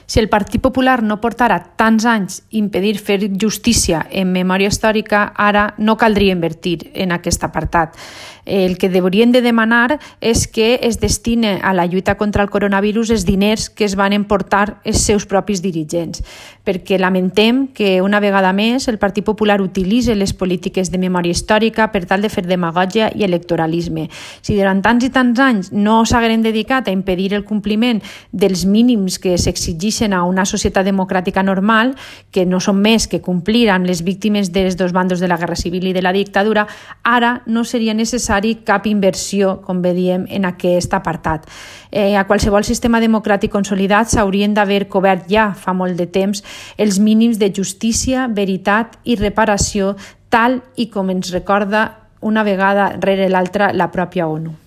Si el Partit Popular no portara tants anys impedir fer justícia en memòria històrica, ara no caldria invertir en aquest apartat. El que haurien de demanar és que es destine a la lluita contra el coronavirus els diners que es van emportar els seus propis dirigents, perquè lamentem que una vegada més el Partit Popular utilitza les polítiques de memòria històrica per tal de fer demagògia i electoralisme. Si durant tants i tants anys no s'hagueren dedicat a impedir el compliment dels mínims que s'exigeixen a una societat democràtica normal, que no són més que complir amb les víctimes dels dos bandos de la Guerra Civil i de la dictadura, ara no seria necessari cap inversió, com diem, en aquest apartat. A qualsevol sistema democràtic consolidat s'haurien d'haver cobert ja fa molt de temps els mínims de justícia, veritat i reparació, tal i com ens recorda una vegada rere l'altra la pròpia ONU.